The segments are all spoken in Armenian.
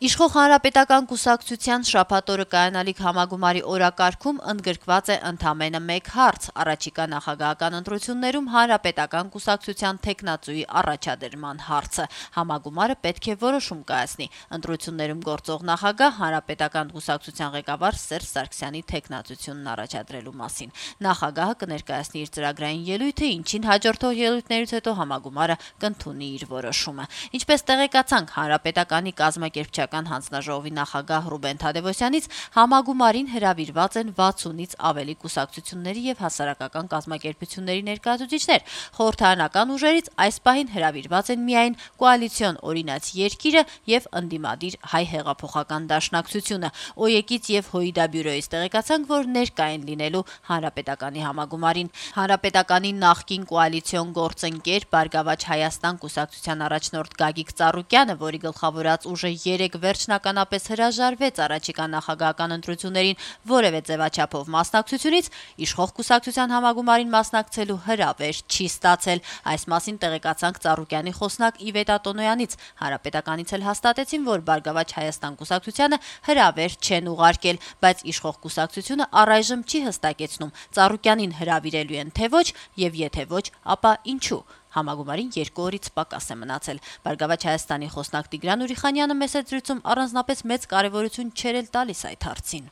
Իշխող Հանրապետական կուսակցության շաբաթ օրը կայանալիք համագումարի օրակարգում ընդգրկված է ընդամենը մեկ հարց՝ առաջիկա նախագահական ընտրություններում Հանրապետական կուսակցության թեկնածուի առաջադրման հարցը։ Համագումարը պետք է որոշում կայացնի ընտրություններում գործող նախագահ Հանրապետական կուսակցության ղեկավար Սերժ Սարգսյանի թեկնածությունն առաջադրելու մասին։ Նախագահը կներկայացնի իր ծրագրային ելույթը, ինչին հաջորդող ելույթներից հետո համագումարը կընդունի իր որոշումը։ Ինչպես տեղեկացանք Հանրապետականի կազմակերպչական հանձնաժողովի նախագահ Ռուբեն Թադևոսյանից, համագումարին հրավիրված են 60-ից ավելի կուսակցությունների եւ հասարակական կազմակերպությունների ներկայացուցիչներ։ Խորհրդարանական ուժերից այս պահին հրավիրված են միայն կոալիցիոն օրինաց երկիրը եւ ընդդիմադիր հայ հեղափոխական դաշնակցությունը։ ՕԵԿ-ից եւ ՀՅԴ բյուրոյից տեղեկացանք, որ ներկա են լինելու Հանրապետականի համագումարին։ Հանրապետականի նախկին կոալիցիոն գործընկեր Բարգավաճ Հայաստան կուսակցության առաջնորդ Գագիկ Ծառուկյանը, որի գլխավորած ուժը 3 վերջնականապես հրաժարվեց առաջիկա նախագահական ընտրություններին որևէ ձևաչափով մասնակցությունից, իշխող կուսակցության համագումարին մասնակցելու հրավեր չի ստացել։ Այս մասին տեղեկացանք Ծառուկյանի խոսնակ Իվետ Ատոնոյանից։ Հանրապետականից էլ հաստատեցին, որ Բարգավաճ Հայաստան կուսակցությանը հրավեր չեն ուղարկել, բայց իշխող կուսակցությունը առայժմ չի հստակեցնում Ծառուկյանին հրավիրելու են թե ոչ, եւ եթե ոչ, ապա ինչու։ Համագումարին 2 օրից պակաս է մնացել։ Բարգավաճ Հայաստանի խոսնակ Տիգրան Ուրիխանյանը մեծ զրույցում առանձնապես մեծ կարևորություն չէր տալիս այդ հարցին։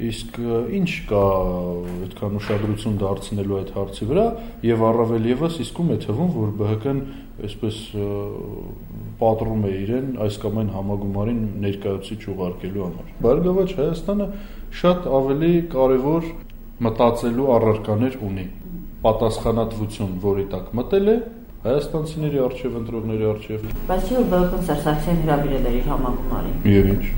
Իսկ ինչ կա այդքան ուշադրություն դարձնելու այդ հարցի վրա, եւ առավել եւս իսկում է թվում, որ ԲՀԿ-ն այսպես պատռում է իրեն այս կամ այն համագումարին ներկայացուցիչ ուղարկելու համար։ Բարգավաճ Հայաստանը շատ ավելի կարևոր մտածելու առարկաներ ունի։ Պատասխանատվություն, որի տակ մտել է հայաստանցիների արչև, ընտրողների արչև։ Բայց չէ՞ որ ԲՀԿ-ն Սերժ Սարգսյանին հրավիրել էր իր համագումարին։ Եվ ինչ։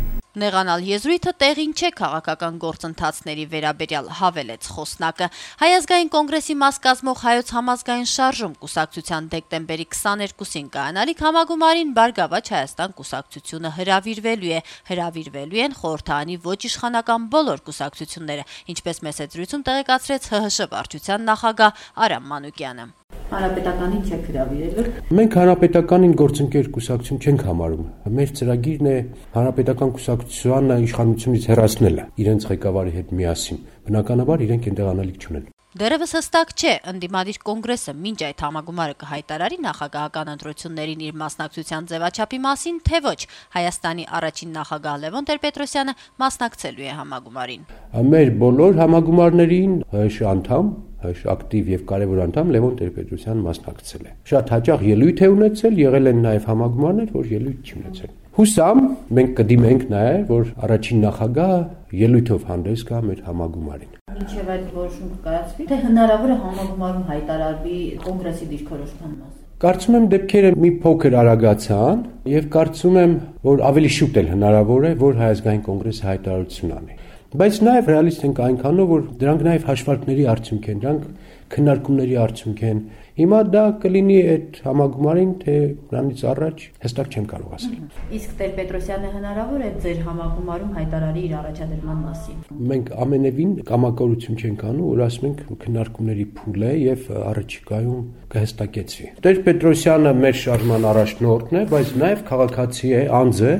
Նեղանալ եզրույթը տեղին չէ քաղաքական գործընթացների վերաբերյալ, հավելեց խոսնակը։ Հայ ազգային կոնգրեսի մաս կազմող Հայոց համազգային շարժում կուսակցության դեկտեմբերի 22-ին կայանալիք համագումարին Բարգավաճ Հայաստան կուսակցությունը հրավիրվելու է։ Հրավիրվելու են խորհրդարանի ոչ իշխանական բոլոր կուսակցությունները, ինչպես մեծ զրույցում տեղեկացրեց ՀՀՇ վարչության նախագահ Արամ Մանուկյանը։ Հանրապետականին չեք հրավիրել։ Մենք հանրապետականին գործընկեր կուսակցություն չենք համարում։ Մեր ծրագիրն է հանրապետական կուսակցությանը իշխանությունից հեռացնելը իրենց ղեկավարի հետ միասին։ Բնականաբար իրենք այնտեղ անելիք չունեն։ Դեռևս հստակ չէ, ընդդիմադիր կոնգրեսը մինչ այդ համագումարը կհայտարարի նախագահական ընտրություններին իր մասնակցության ձևաչափի մասին, թե ոչ։ Հայաստանի առաջին նախագահ Լևոն Տեր-Պետրոսյանը մասնակցելու է համագումարին։ Մեր բոլոր համագումարներին ՀՀՇ անդամ, ՀՀՇ ակտիվ եւ կարեւոր անդամ Լևոն Տեր-Պետրոսյանը մասնակցել է։ Շատ հաճախ ելույթ է ունեցել, եղել են նաեւ համագումարներ, որ ելույթ չունեցել։ Հուսամ մենք կդիմենք նաեւ, որ առաջին նախագահը ելույթով հանդես գա մեր համագումարին։ Ինչեւ այդ որոշումը կայացվի, թե հնարավոր է համագումարում հայտարարվի կոնգրեսի դիրքորոշման մասը։ Կարծում եմ դեպքերը մի փոքր արագացան եւ կարծում եմ, որ ավելի շուտ էլ հնարավոր է, որ Հայ ազգային կոնգրեսը հայտարարություն անի։ Բայց նաեւ ռեալիստ ենք այնքանով, որ դրանք նաեւ հաշվարկների արդյունք են, դրանք քննարկումների արդյունք են։ Հիմա դա կլինի այդ համագումարին, թե նրանից առաջ հստակ չեմ կարող ասել։ Իսկ Տեր-Պետրոսյանը հնարավոր է ձեր համագումարում հայտարարի իր առաջադրման մասին։ Մենք ամենևին կամակորություն չենք անում, որ ասում ենք քննարկումների փուլ է եւ առաջիկայում կհստակեցվի։ Տեր-Պետրոսյանը մեր շարժման առաջնորդն է, բայց նաեւ քաղաքացի է, անձ է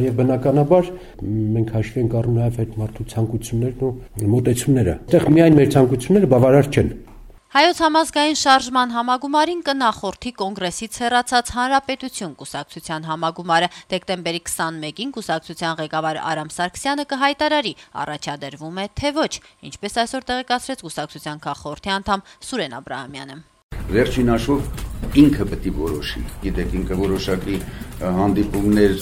եւ բնականաբար մենք հաշվի ենք առնում նաեւ այդ մարդու ցանկություններն ու մոտեցումները։ Այդտեղ միայն մեր ցանկությունները բավարար չեն։ Հայոց համազգային շարժման համագումարին կնախորդի կոնգրեսից հեռացած Հանրապետություն կուսակցության համագումարը։ Դեկտեմբերի 21-ին կուսակցության ղեկավար Արամ Սարգսյանը կհայտարարի առաջադրվում է թե ոչ, ինչպես այսօր տեղեկացրեց կուսակցության քաղխորհրդի անդամ Սուրեն Աբրահամյանը։ Վերջին հաշվով ինքը պետք է որոշի։ Գիտեք, ինքը որոշակի հանդիպումներ,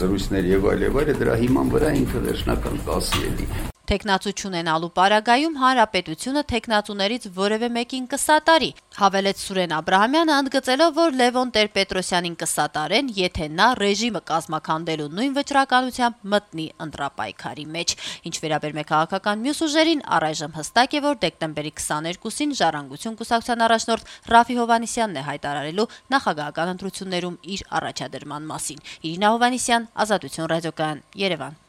զրույցներ եւ այլ, դրա հիման վրա ինքը վերջնական կասի էլի։ Թեկնածու չունենալու պարագայում Հանրապետությունը թեկնածուներից որևէ մեկին կսատարի, հավելեց Սուրեն Աբրահամյանը, ընդգծելով, որ Լևոն Տեր-Պետրոսյանին կսատարեն, եթե նա ռեժիմը կազմաքանդելու նույն վճռականությամբ մտնի ընտրապայքարի մեջ։ Ինչ վերաբերում է քաղաքական մյուս ուժերին, առայժմ հստակ է, որ դեկտեմբերի 22-ին Ժառանգություն կուսակցության առաջնորդ Ռաֆի Հովհաննիսյանն է հայտարարելու նախագահական ընտրություններում իր առաջադրման մասին։ Իրինա Հովհաննիսյան, Ազատություն ռադիոկայան, Երևան։